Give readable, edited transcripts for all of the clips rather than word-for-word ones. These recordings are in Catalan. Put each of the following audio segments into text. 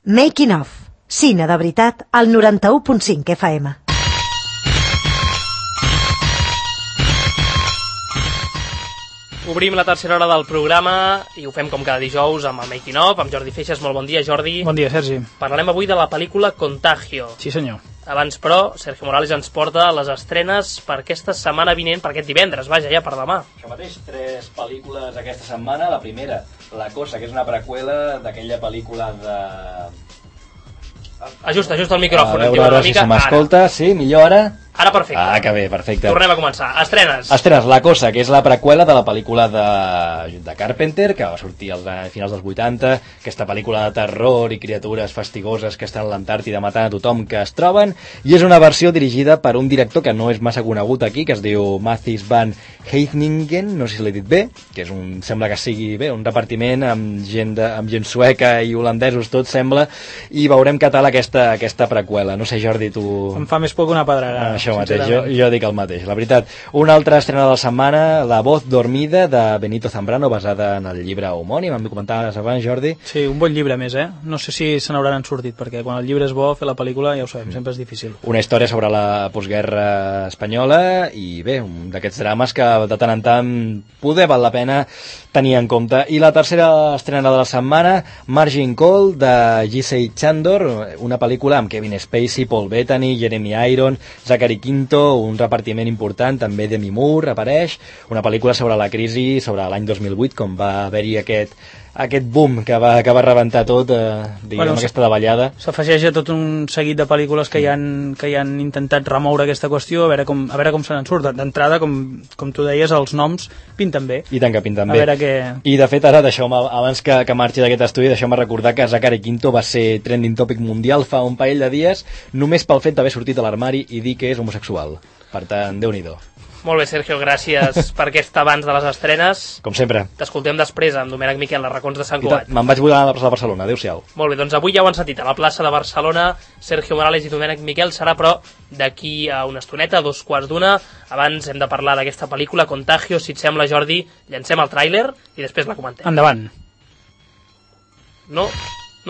Making of. Cine de veritat al 91.5 FM. Obrim la tercera hora del programa i ho fem com cada dijous amb el Making of, amb Jordi Feixas. Molt bon dia, Jordi. Bon dia, Sergi. Parlarem avui de la pel·lícula Contagio. Sí, senyor. Abans, però, Sergio Morales ens porta les estrenes per aquesta setmana vinent, per aquest divendres, vaja, ja per demà. Això mateix, 3 pel·lícules aquesta setmana. La primera, La Cosa, que és una preqüela d'aquella pel·lícula de... Ajusta el micròfon. A veure si se m'escolta. Sí, millor ara? Ara perfecte. Ah, que bé, perfecte. Tornem a començar. Estrenes. La Cosa, que és la preqüela de la pel·lícula de Carpenter, que va sortir a finals dels 80, aquesta pel·lícula de terror i criatures fastigoses que estan a l'Antàrtida matant a tothom que es troben, i és una versió dirigida per un director que no és massa conegut aquí, que es diu Matthijs van Heiningen, no sé si l'he dit bé, que és sembla que sigui bé, un repartiment amb gent sueca i holandesos, tot sembla, i veurem què tal aquesta preqüela. No sé, Jordi, tu... Em fa més por que una pedrada. Això mateix, jo dic el mateix, la veritat. Una altra estrena de la setmana, La voz dormida, de Benito Zambrano, basada en el llibre homònim. Em comentaves abans, Jordi. Sí, un bon llibre més, No sé si se n'hauran sortit, perquè quan el llibre és bo, fer la pel·lícula, ja ho sabem, sempre és difícil. Una història sobre la postguerra espanyola i bé, un d'aquests drames que de tant en tant poder val la pena tenir en compte. I la tercera estrena de la setmana, Margin Call, de Giselle Chandor, una pel·lícula amb Kevin Spacey, Paul Bettany, Jeremy Irons, Zachary Quinto, un repartiment important, també Demi Moore apareix, una pel·lícula sobre la crisi, sobre l'any 2008, com va haver-hi aquest boom que va rebentar tot, aquesta davallada. S'afegeix a tot un seguit de pel·lícules que hi han intentat remoure aquesta qüestió, a veure com se n'en surt. D'entrada, com tu deies, els noms pinten bé. I tant que pinten bé. I de fet, ara, abans que marxi d'aquest estudi, deixeu-me recordar que Zachary Quinto va ser trending topic mundial fa un parell de dies, només pel fet d'haver sortit a l'armari i dir que és homosexual. Per tant, Déu-n'hi-do. Molt bé, Sergio, gràcies per aquest abans de les estrenes. Com sempre. T'escoltem després amb Domènec Miquel, les racons de Sant Cugat. Me'n vaig volar a la plaça de Barcelona, adéu-siau. Molt bé, doncs avui ja ho han sentit, a la plaça de Barcelona, Sergio Morales i Domènec Miquel. Serà, però, d'aquí a una estoneta, a 2:15. Abans hem de parlar d'aquesta pel·lícula, Contagio. Si et sembla, Jordi, llancem el tràiler i després la comentem. Endavant. No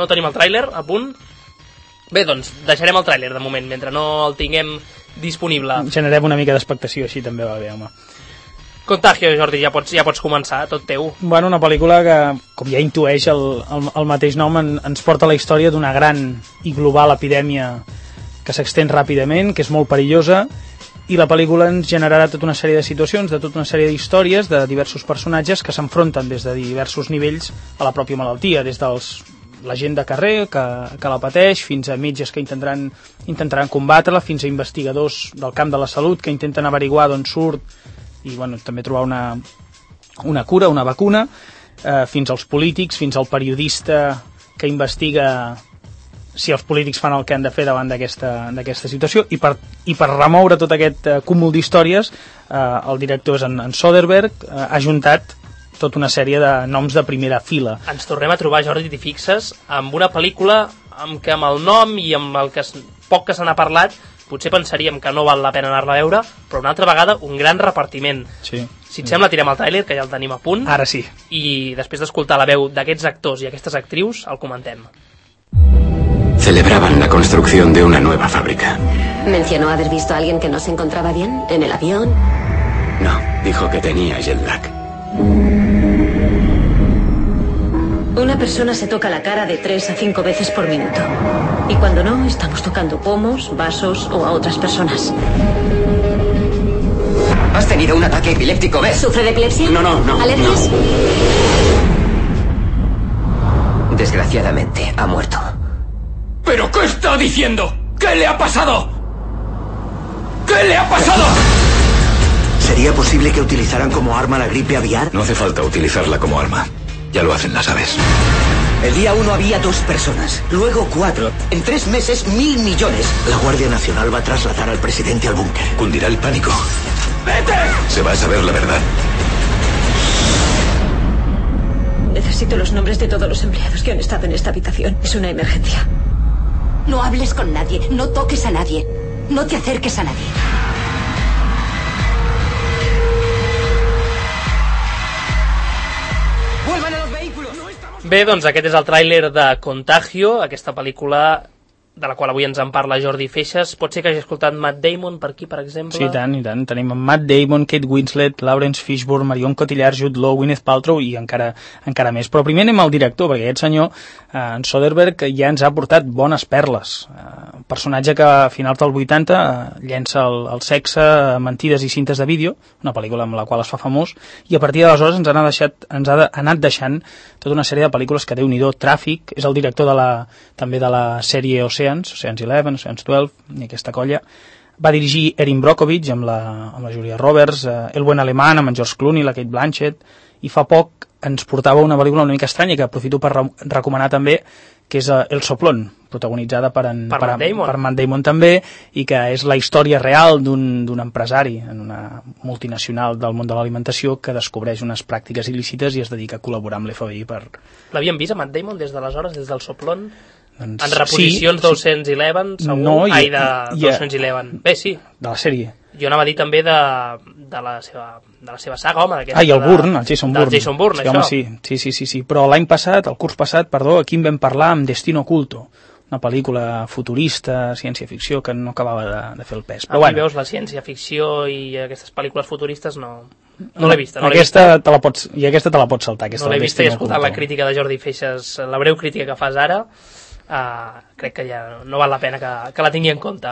tenim el tràiler a punt? Bé, doncs deixarem el tràiler de moment, mentre no el tinguem disponible. Generem una mica d'expectació, així també va bé, home. Contagio, Jordi, ja pots començar, tot teu. Bueno, una pel·lícula que, com ja intueix el mateix nom, ens porta la història d'una gran i global epidèmia que s'extén ràpidament, que és molt perillosa, i la pel·lícula ens generarà tota una sèrie de situacions, de tota una sèrie d'històries de diversos personatges que s'enfronten des de diversos nivells a la pròpia malaltia, des dels la gent de carrer que la pateix, fins a metges que intentaran combatre-la, fins a investigadors del camp de la salut que intenten averiguar d'on surt i també trobar una cura, una vacuna, fins als polítics, fins al periodista que investiga si els polítics fan el que han de fer davant d'aquesta situació, i per remoure tot aquest cúmul d'històries, el director és en Soderbergh, ha juntat tota una sèrie de noms de primera fila. Ens tornem a trobar, Jordi, t'hi fixes, amb una pel·lícula amb el nom i amb el poc que se n'ha parlat, potser pensaríem que no val la pena anar-la a veure, però una altra vegada un gran repartiment. Sí. Si et sembla, tirem el tràiler, que ja el tenim a punt. Ara sí. I després d'escoltar la veu d'aquests actors i aquestes actrius, el comentem. Celebraban la construcción de una nueva fábrica. ¿Mencionó haber visto a alguien que no se encontraba bien en el avión? No, dijo que tenía jet lag. Una persona se toca la cara de 3 a 5 veces por minuto. Y cuando no, estamos tocando pomos, vasos o a otras personas. ¿Has tenido un ataque epiléptico, ves? ¿Sufre de epilepsia? No. ¿Alergias? No. Desgraciadamente, ha muerto. ¿Pero qué está diciendo? ¿Qué le ha pasado? ¿Qué le ha pasado? ¿Sería posible que utilizaran como arma la gripe aviar? No hace falta utilizarla como arma. Ya lo hacen las aves. El día 1 había 2 personas, luego 4. En 3 meses, 1.000 millones. La Guardia Nacional va a trasladar al presidente al búnker. Cundirá el pánico. ¡Vete! Se va a saber la verdad. Necesito los nombres de todos los empleados que han estado en esta habitación. Es una emergencia. No hables con nadie, no toques a nadie, no te acerques a nadie. ¡Vuelvan a los vehículos! ¡No estamos Bé, doncs aquest és el tràiler de Contagio, aquesta pel·lícula de la qual avui ens en parla Jordi Feixas. Pot ser que hagi escoltat Matt Damon per aquí, per exemple? Sí, i tant. Tenim Matt Damon, Kate Winslet, Lawrence Fishburne, Marion Cotillard, Jude Law, Gwyneth Paltrow i encara més. Però primer anem al director, perquè aquest senyor, en Soderbergh, ja ens ha portat bones perles. Personatge que a finals del 80 llença el sexe, mentides i cintes de vídeo, una pel·lícula amb la qual es fa famós, i a partir d'aleshores ens ha anat deixant tota una sèrie de pel·lícules que Déu-n'hi-do. Tràfic, és el director també de la sèrie Oceans 11, Oceans 12, i aquesta colla. Va dirigir Erin Brockovich amb la Julia Roberts, El buen alemán amb en George Clooney, la Kate Blanchett, i fa poc ens portava una pel·lícula una mica estranya que aprofito per recomanar també, que és El soplón, protagonitzada per Matt Damon també, i que és la història real d'un empresari en una multinacional del món de l'alimentació que descobreix unes pràctiques il·lícites i es dedica a col·laborar amb l'FBI per... L'havien vist a Matt Damon des d'aleshores, des del soplón? En reposicions d'Ocean's segur? No, d'Ocean's Bé, sí. De la sèrie. Jo anava a dir també de la seva saga, home. I el Bourne, el Jason Bourne. Del Jason Bourne, sí, això. Home, sí. Però el curs passat, aquí en vam parlar amb Destino Oculto, una pel·lícula futurista, ciència-ficció, que no acabava de fer el pes. Però aquí veus la ciència-ficció i aquestes pel·lícules futuristes no l'he vista. Aquesta te la pots saltar. No l'he vista i he escoltat la crítica de Jordi Feixas, la breu crítica que fas ara. Crec que ja no val la pena que la tingui en compte.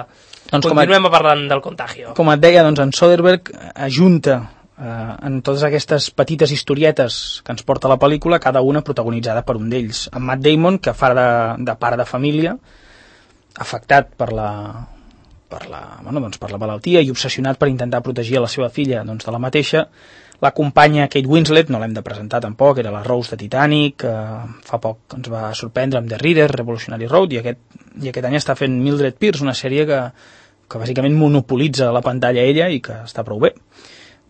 Continuem parlant del Contagio. Com et deia, en Soderbergh ajunta en totes aquestes petites historietes que ens porta la pel·lícula, cada una protagonitzada per un d'ells. En Matt Damon, que fa de pare de família, afectat per la malaltia i obsessionat per intentar protegir a la seva filla de la mateixa. L'acompanya Kate Winslet, no l'hem de presentar tampoc, era la Rose de Titanic, fa poc ens va sorprendre amb The Reader, Revolutionary Road, i aquest any està fent Mildred Pierce, una sèrie que bàsicament monopolitza la pantalla ella i que està prou bé.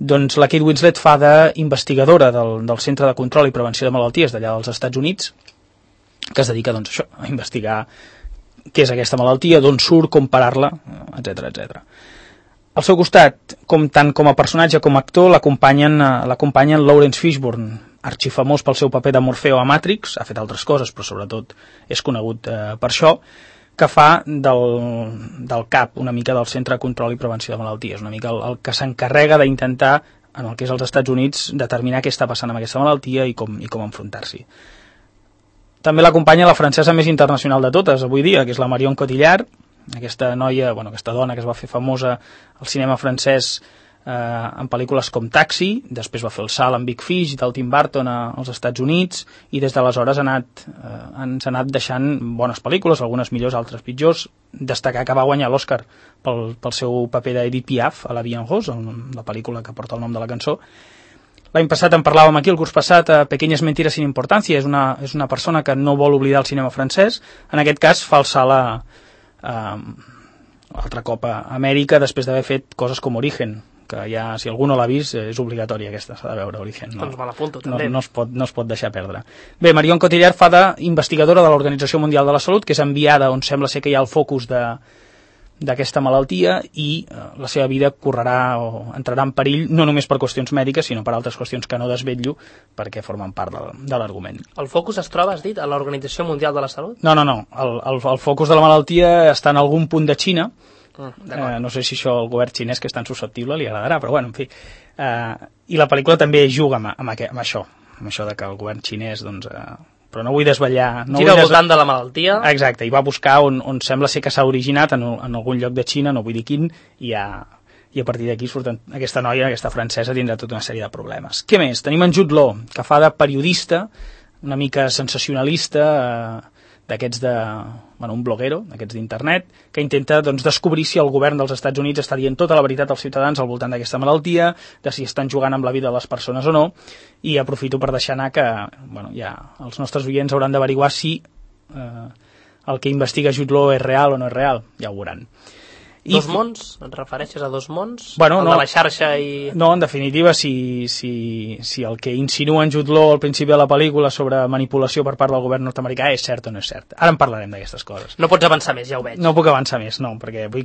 Doncs la Kate Winslet fa d'investigadora del Centre de Control i Prevenció de Malalties d'allà dels Estats Units, que es dedica a investigar què és aquesta malaltia, d'on surt, com parar-la, etc. Al seu costat, tant com a personatge com a actor, l'acompanyen Lawrence Fishburne, arxifamós pel seu paper de Morfeo a Matrix, ha fet altres coses, però sobretot és conegut per això, que fa del CAP, una mica del Centre de Control i Prevenció de Malalties, una mica el que s'encarrega d'intentar, en el que és els Estats Units, determinar què està passant amb aquesta malaltia i com enfrontar-s'hi. També l'acompanya la francesa més internacional de totes, avui dia, que és la Marion Cotillard, aquesta dona que es va fer famosa al cinema francès en pel·lícules com Taxi, després va fer el salt amb Big Fish del Tim Burton als Estats Units, i des d'aleshores ens ha anat deixant bones pel·lícules, algunes millors, altres pitjors. Destacar que va guanyar l'Oscar pel seu paper d'Edith Piaf a La Vie en Rose, la pel·lícula que porta el nom de la cançó. L'any passat en parlàvem aquí, el curs passat, a Pequeñas mentiras sin importancia, és una persona que no vol oblidar el cinema francès, en aquest cas fa el salt altre cop a Amèrica després d'haver fet coses com Origen, que ja, si algú no l'ha vist, és obligatòria aquesta, s'ha de veure Origen. Doncs me l'apunto, també. No es pot deixar perdre. Bé, Marion Cotillard fa d'investigadora de l'Organització Mundial de la Salut, que és enviada on sembla ser que hi ha el focus d'aquesta malaltia, i la seva vida correrà o entrarà en perill no només per qüestions mèdiques, sinó per altres qüestions que no desvetllo perquè formen part de l'argument. El focus es troba, has dit, a l'Organització Mundial de la Salut? No. El focus de la malaltia està en algun punt de Xina. No sé si això al govern xinès, que és tan susceptible, li agradarà, però bueno, en fi. I la pel·lícula també juga amb això de que el govern xinès, però no vull desvetllar... Gira al voltant de la malaltia. Exacte, i va buscar on sembla ser que s'ha originat, en algun lloc de Xina, no vull dir quin, i a partir d'aquí surten aquesta noia, aquesta francesa, tindrà tota una sèrie de problemes. Què més? Tenim en Jude Law, que fa de periodista, una mica sensacionalista, d'aquests un bloguero, d'aquests d'internet, que intenta descobrir si el govern dels Estats Units està dient tota la veritat als ciutadans al voltant d'aquesta malaltia, de si estan jugant amb la vida de les persones o no, i aprofito per deixar anar que ja els nostres oients hauran d'averiguar si el que investiga Jude Law és real o no és real, ja ho veuran. Dos mons? Et refereixes a dos mons? De la xarxa i... No, en definitiva, si el que insinua en Jude Law al principi de la pel·lícula sobre manipulació per part del govern nord-americà és cert o no és cert. Ara en parlarem d'aquestes coses. No pots avançar més, ja ho veig. No puc avançar més, no, perquè vull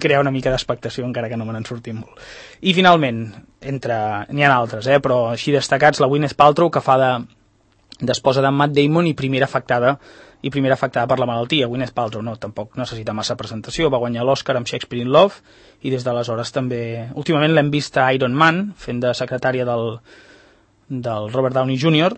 crear una mica d'expectació, encara que no me n'en surtin molt. I finalment, n'hi ha altres, però així destacats, la Gwyneth Paltrow, que fa d'esposa d'en Matt Damon i primera afectada per la malaltia. Gwyneth Paltrow tampoc necessita massa presentació, va guanyar l'Oscar amb Shakespeare in Love i des d'aleshores també... Últimament l'hem vist a Iron Man, fent de secretària del Robert Downey Jr.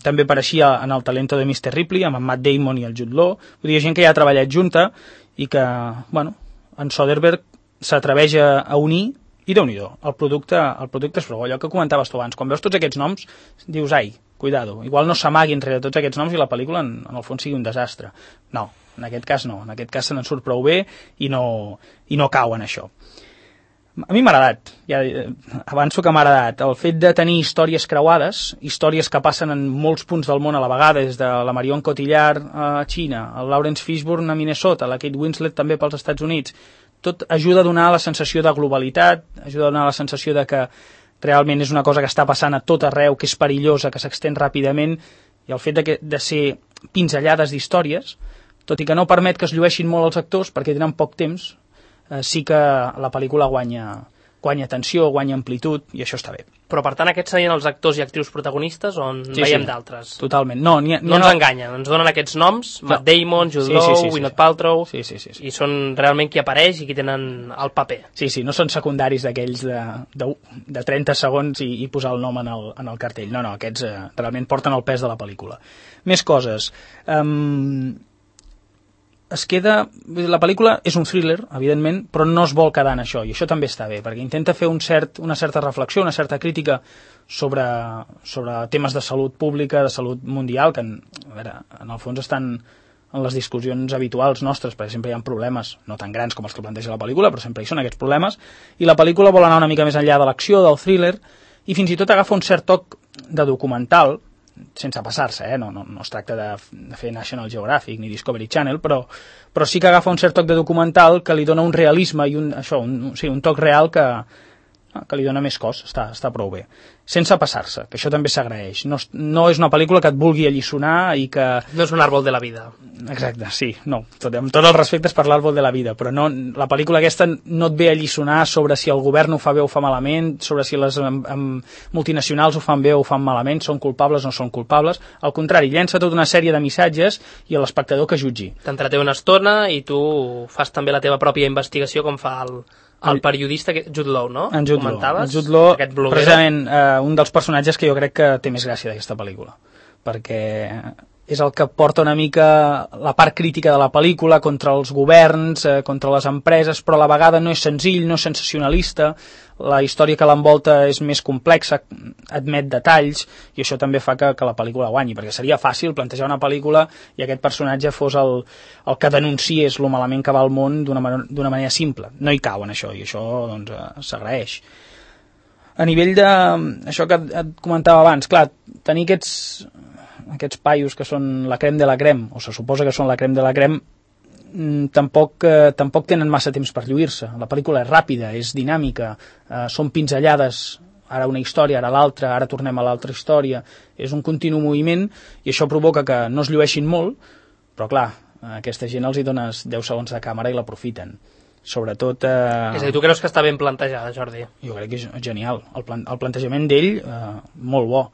També apareixia en El talento de Mr. Ripley amb en Matt Damon i el Jude Law. Vull dir, gent que ja ha treballat junta i que, bueno, en Soderbergh s'atreveix a unir i Déu-n'hi-do, el producte és prou. Allò que comentaves tu abans, quan veus tots aquests noms dius, ai, cuidado, igual no s'amaguin rere tots aquests noms i la pel·lícula en el fons sigui un desastre. No, en aquest cas no, en aquest cas se n'en surt prou bé i no cau en això. A mi m'ha agradat, ja avanço que m'ha agradat el fet de tenir històries creuades, històries que passen en molts punts del món a la vegada, des de la Marion Cotillard a Xina, el Lawrence Fishburne a Minnesota, la Kate Winslet també pels Estats Units. Tot ajuda a donar la sensació de globalitat, ajuda a donar la sensació de que realment és una cosa que està passant a tot arreu, que és perillosa, que s'extén ràpidament, i el fet de ser pinzellades d'històries, tot i que no permet que es llueixin molt els actors perquè tenen poc temps, sí que la pel·lícula guanya tensió, guanya amplitud, i això està bé. Però per tant aquests serien els actors i actrius protagonistes o en veiem d'altres? Totalment. No ens enganyen, ens donen aquests noms, Matt Damon, Jude Law, Gwyneth Paltrow, i són realment qui apareix i qui tenen el paper. Sí, no són secundaris d'aquells de 30 segons i posar el nom en el cartell. No, aquests realment porten el pes de la pel·lícula. Més coses. La pel·lícula és un thriller, evidentment, però no es vol quedar en això, i això també està bé, perquè intenta fer una certa reflexió, una certa crítica sobre temes de salut pública, de salut mundial, que en el fons estan en les discussions habituals nostres, perquè sempre hi ha problemes, no tan grans com els que planteja la pel·lícula, però sempre hi són aquests problemes, i la pel·lícula vol anar una mica més enllà de l'acció, del thriller, i fins i tot agafa un cert toc de documental, sense passar-se, no es tracta de fer National Geographic ni Discovery Channel, però sí que agafa un cert toc de documental que li dona un realisme i un toc real que li dona més cos, està prou bé, sense passar-se, que això també s'agraeix. No és una pel·lícula que et vulgui alliçonar i que... No és un àrbol de la vida. Exacte, sí, no, amb tots els respectes per l'àrbol de la vida, però no, la pel·lícula aquesta no et ve a alliçonar sobre si el govern ho fa bé o fa malament, sobre si les multinacionals ho fan bé o ho fan malament, són culpables o no són culpables. Al contrari, llença tota una sèrie de missatges i a l'espectador que jutgi. T'entreté una estona i tu fas també la teva pròpia investigació, com fa el periodista Jude Law, no? En Jude Law, precisament un dels personatges que jo crec que té més gràcia d'aquesta pel·lícula, perquè és el que porta una mica la part crítica de la pel·lícula contra els governs, contra les empreses, però a la vegada no és senzill, no és sensacionalista, la història que l'envolta és més complexa, admet detalls, i això també fa que la pel·lícula guanyi, perquè seria fàcil plantejar una pel·lícula i aquest personatge fos el que denunciés lo malament que va al món d'una manera simple. No hi cau en això, i això doncs, s'agraeix. A nivell això que et comentava abans, clar, tenir aquests paios que són la crem de la crem, o se suposa que són la crem de la crem, tampoc tenen massa temps per lluir-se. La pel·lícula és ràpida, és dinàmica, són pinzellades, ara una història, ara l'altra, ara tornem a l'altra història, és un continu moviment i això provoca que no es llueixin molt, però clar, a aquesta gent els hi dones 10 segons de càmera i l'aprofiten. Sobretot... És a dir, tu creus que està ben plantejada, Jordi? Jo crec que és genial. El plantejament d'ell, molt bo.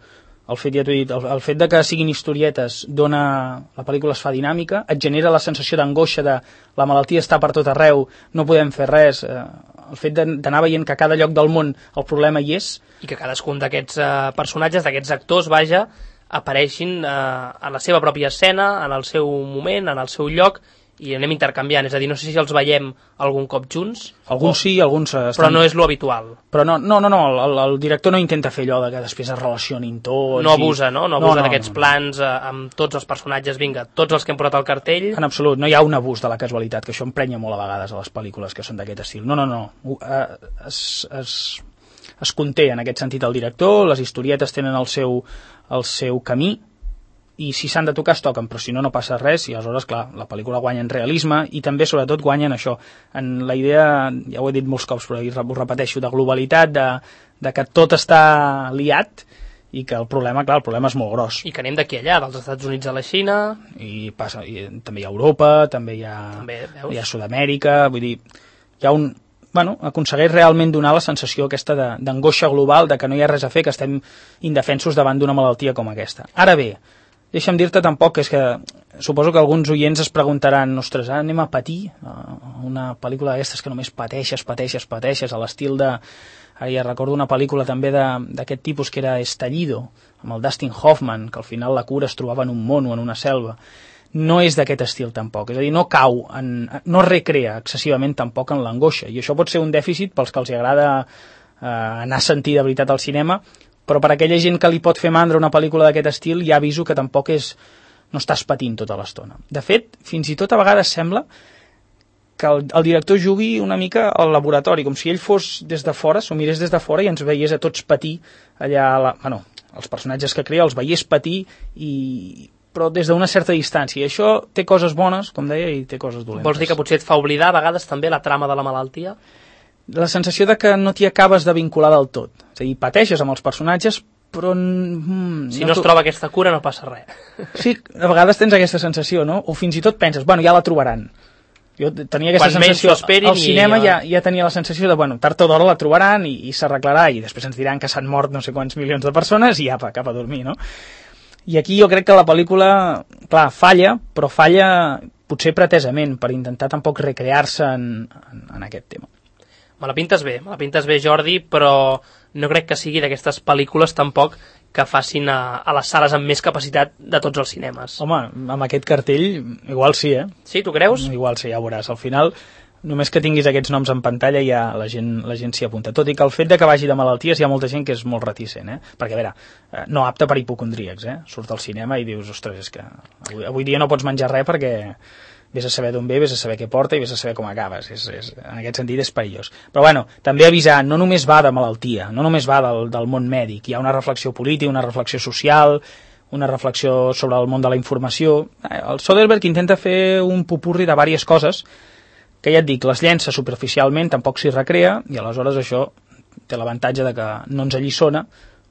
El fet de que siguin historietes la pel·lícula es fa dinàmica, et genera la sensació d'angoixa de la malaltia està per tot arreu, no podem fer res, el fet d'anar veient que a cada lloc del món el problema hi és. I que cadascun d'aquests personatges, d'aquests actors, apareixin a la seva pròpia escena, en el seu moment, en el seu lloc, i anem intercanviant, és a dir, no sé si els veiem algun cop junts. Alguns sí, alguns... Però no és lo habitual. Però no, el director no intenta fer allò que després es relacionin tots... No abusa, no? No abusa d'aquests plans amb tots els personatges, vinga, tots els que hem posat al cartell... En absolut, no hi ha un abús de la casualitat, que això emprenya molt a vegades a les pel·lícules que són d'aquest estil. No. Es conté en aquest sentit el director, les historietes tenen el seu camí, i si s'han de tocar es toquen, però si no passa res, i aleshores, clar, la pel·lícula guanya en realisme i també, sobretot, guanya en això, en la idea, ja ho he dit molts cops, però ho repeteixo, de globalitat, de que tot està liat i que el problema és molt gros. I que anem d'aquí allà, dels Estats Units a la Xina... I també hi ha Europa, també hi ha Sud-amèrica, vull dir, hi ha aconsegueix realment donar la sensació aquesta d'angoixa global, de que no hi ha res a fer, que estem indefensos davant d'una malaltia com aquesta. Ara bé, deixa'm dir-te tampoc que és que suposo que alguns oients es preguntaran, ostres, anem a patir una pel·lícula d'aquestes que només pateixes, a l'estil de... Ara ja recordo una pel·lícula també d'aquest tipus que era Estallido, amb el Dustin Hoffman, que al final la cura es trobava en un mono, en una selva. No és d'aquest estil tampoc, és a dir, no recrea excessivament tampoc en l'angoixa, i això pot ser un dèficit pels que els agrada anar a sentir de veritat al cinema, però per aquella gent que li pot fer mandra una pel·lícula d'aquest estil ja aviso que tampoc no estàs patint tota l'estona. De fet, fins i tot a vegades sembla que el director jugui una mica al laboratori, com si ell fos des de fora, s'ho mirés des de fora i ens veiés a tots patir allà, els personatges que crea els veiés patir, però des d'una certa distància. I això té coses bones, com deia, i té coses dolentes. Vols dir que potser et fa oblidar a vegades també la trama de la malaltia? La sensació de que no t'hi acabes de vincular del tot. És a dir, pateixes amb els personatges, però... si no es troba aquesta cura no passa res. Sí, a vegades tens aquesta sensació, no? O fins i tot penses, ja la trobaran. Jo tenia aquesta sensació, al cinema ja tenia la sensació de, tard o d'hora la trobaran i s'arreglarà, i després ens diran que s'han mort no sé quants milions de persones i apa, cap a dormir, no? I aquí jo crec que la pel·lícula, clar, falla, però falla potser pretesament, per intentar tampoc recrear-se en aquest tema. Me la pintes bé, Jordi, però no crec que sigui d'aquestes pel·lícules tampoc que facin a les sales amb més capacitat de tots els cinemes. Home, amb aquest cartell, igual sí, eh? Sí, tu creus? Igual sí, ja veuràs. Al final, només que tinguis aquests noms en pantalla ja la gent s'hi apunta. Tot i que el fet de que vagi de malalties hi ha molta gent que és molt reticent, eh? Perquè, a veure, no apte per hipocondríacs, eh? Surt al cinema i dius, ostres, és que avui dia no pots menjar res perquè vés a saber d'on ve, vés a saber què porta i vés a saber com acabes. En aquest sentit és perillós. Però també avisar, no només va de malaltia, no només va del món mèdic, hi ha una reflexió política, una reflexió social, una reflexió sobre el món de la informació. El Soderbergh intenta fer un popurri de diverses coses que ja et dic, les llença superficialment, tampoc s'hi recrea, i aleshores això té l'avantatge de que no ens alliçona,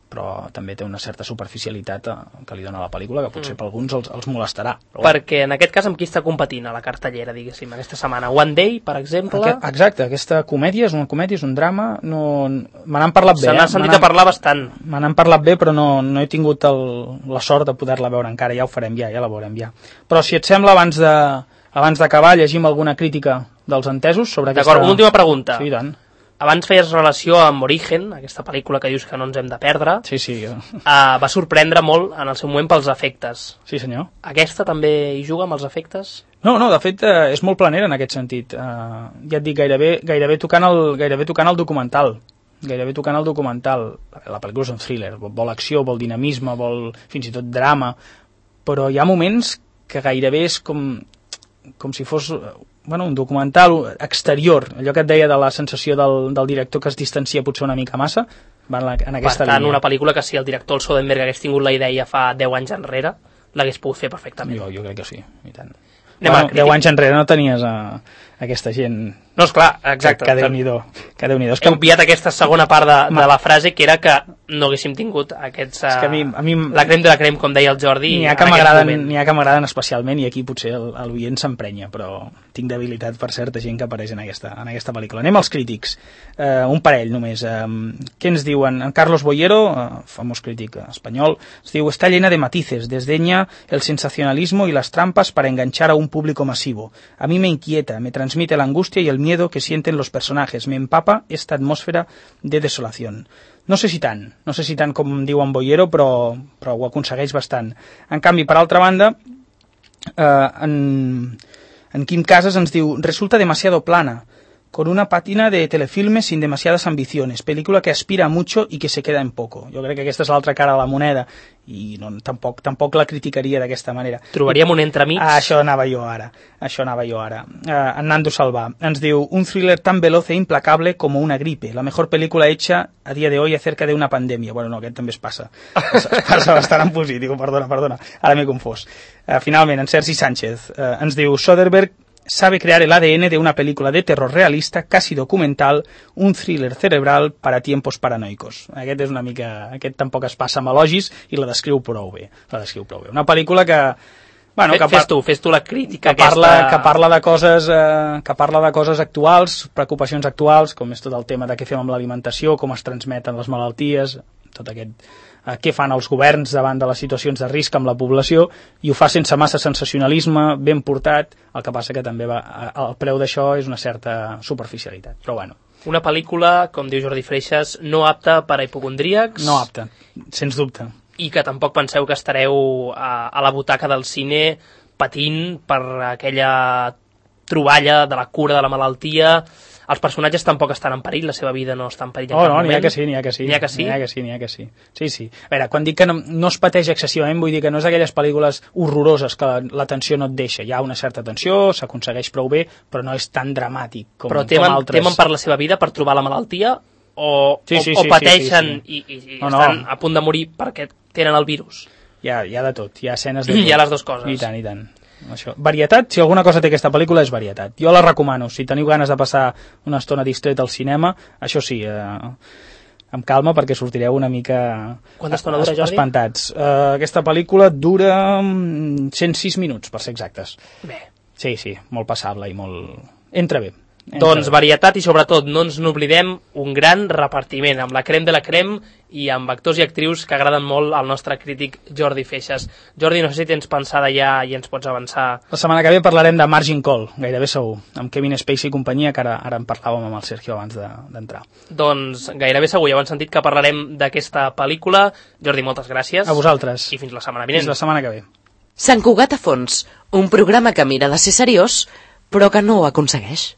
però també té una certa superficialitat que li dona la pel·lícula, que potser per alguns els molestarà. Perquè en aquest cas amb qui està competint a la cartellera, diguéssim, aquesta setmana? One Day, per exemple? Exacte, aquesta comèdia és un drama, me n'han parlat bé. Se n'ha sentit a parlar bastant. Me n'han parlat bé, però no he tingut la sort de poder-la veure encara, ja ho farem ja la veurem ja. Però si et sembla, abans d'acabar, llegim alguna crítica dels entesos sobre aquesta... D'acord, una última pregunta. Sí, tant. Abans feies relació amb Origen, aquesta pel·lícula que dius que no ens hem de perdre. Sí. Va sorprendre molt en el seu moment pels efectes. Sí, senyor. Aquesta també hi juga amb els efectes? No, de fet és molt planera en aquest sentit. Ja et dic, gairebé tocant el documental. La pel·lícula és un thriller, vol acció, vol dinamisme, vol fins i tot drama, però hi ha moments que gairebé és com si fos... un documental exterior, allò que et deia de la sensació del director que es distancia potser una mica massa, va en aquesta línia. Per tant, una pel·lícula que si el director, el Soderbergh, hagués tingut la idea fa 10 anys enrere, l'hagués pogut fer perfectament. Jo crec que sí, i tant. 10 anys enrere no tenies aquesta gent... No, esclar, exacte. Que Déu-n'hi-do. He obviat aquesta segona part de la frase, que era que no haguéssim tingut aquests... És que a mi la crem de la crem, com deia el Jordi, n'hi ha que m'agraden especialment, i aquí potser el veient s'emprenya, però tinc debilitat per certa gent que apareix en aquesta pel·lícula. Anem als crítics. Un parell només. Què ens diuen? En Carlos Boyero, famós crític espanyol, ens diu: está llena de matices, desdeña el sensacionalismo y las trampas para enganchar a un público masivo. A mí me inquieta, me transmite la angustia y el miedo que sienten los personajes, me empapa esta atmósfera de desolación. No sé si tant com diu en Boyero, però ho aconsegueix bastant. En canvi, per altra banda, en Quim Casas ens diu: resulta demasiado plana, con una pátina de telefilmes sin demasiadas ambiciones, película que aspira mucho y que se queda en poco. Jo crec que aquesta és l'altra cara de la moneda, i tampoc la criticaria d'aquesta manera. Trobaríem un entremig? Això anava jo ara. En Nando Salvà ens diu: un thriller tan veloz e implacable como una gripe, la mejor película hecha a día de hoy acerca de una pandemia. Bueno, no, aquest també es passa bastant en positiu, perdona, ara m'he confós. Finalment, en Sergi Sánchez ens diu: Soderbergh sabe crear el ADN de una película de terror realista, casi documental, un thriller cerebral para tiempos paranoicos. Aquest tampoc es passa amb elogis i la descriu prou bé. Una pel·lícula que Bueno, fes tu la crítica que parla de coses actuals, preocupacions actuals, com és tot el tema de què fem amb l'alimentació, com es transmeten les malalties, tot aquest què fan els governs davant de les situacions de risc amb la població, i ho fa sense massa sensacionalisme, ben portat. El que passa que també el preu d'això és una certa superficialitat, però bueno. Una pel·lícula, com diu Jordi Freixas, no apta per a hipocondríacs. No apta, sens dubte. I que tampoc penseu que estareu a la butaca del cine patint per aquella troballa de la cura de la malaltia. Els personatges tampoc estan en perill, la seva vida no està en perill en cap moment. N'hi ha que sí. Sí. A veure, quan dic que no es pateix excessivament, vull dir que no és d'aquelles pel·lícules horroroses que la tensió no et deixa. Hi ha una certa tensió, s'aconsegueix prou bé, però no és tan dramàtic com altres. Però temen per la seva vida per trobar la malaltia o pateixen i estan a punt de morir perquè tenen el virus? Hi ha de tot, hi ha escenes de tot. Hi ha les dues coses. I tant. Això. Varietat, si alguna cosa té aquesta pel·lícula és varietat. Jo la recomano, si teniu ganes de passar una estona distret al cinema, això sí, amb calma perquè sortireu una mica espantats. Aquesta pel·lícula dura 106 minuts, per ser exactes. Bé. Sí, molt passable i molt... Entra bé. Doncs varietat i sobretot no ens n'oblidem un gran repartiment amb la crem de la crem i amb actors i actrius que agraden molt al nostre crític Jordi Freixas. Jordi, no sé si tens pensada ja i ens pots avançar. La setmana que ve parlarem de Margin Call, gairebé segur, amb Kevin Spacey i companyia, que ara en parlàvem amb el Sergio abans d'entrar. Doncs gairebé segur, ja ho han sentit que parlarem d'aquesta pel·lícula. Jordi, moltes gràcies. A vosaltres. I fins la setmana vinent. Fins la setmana que ve. Sant Cugat a fons, un programa que mira de ser seriós, però que no ho aconsegueix.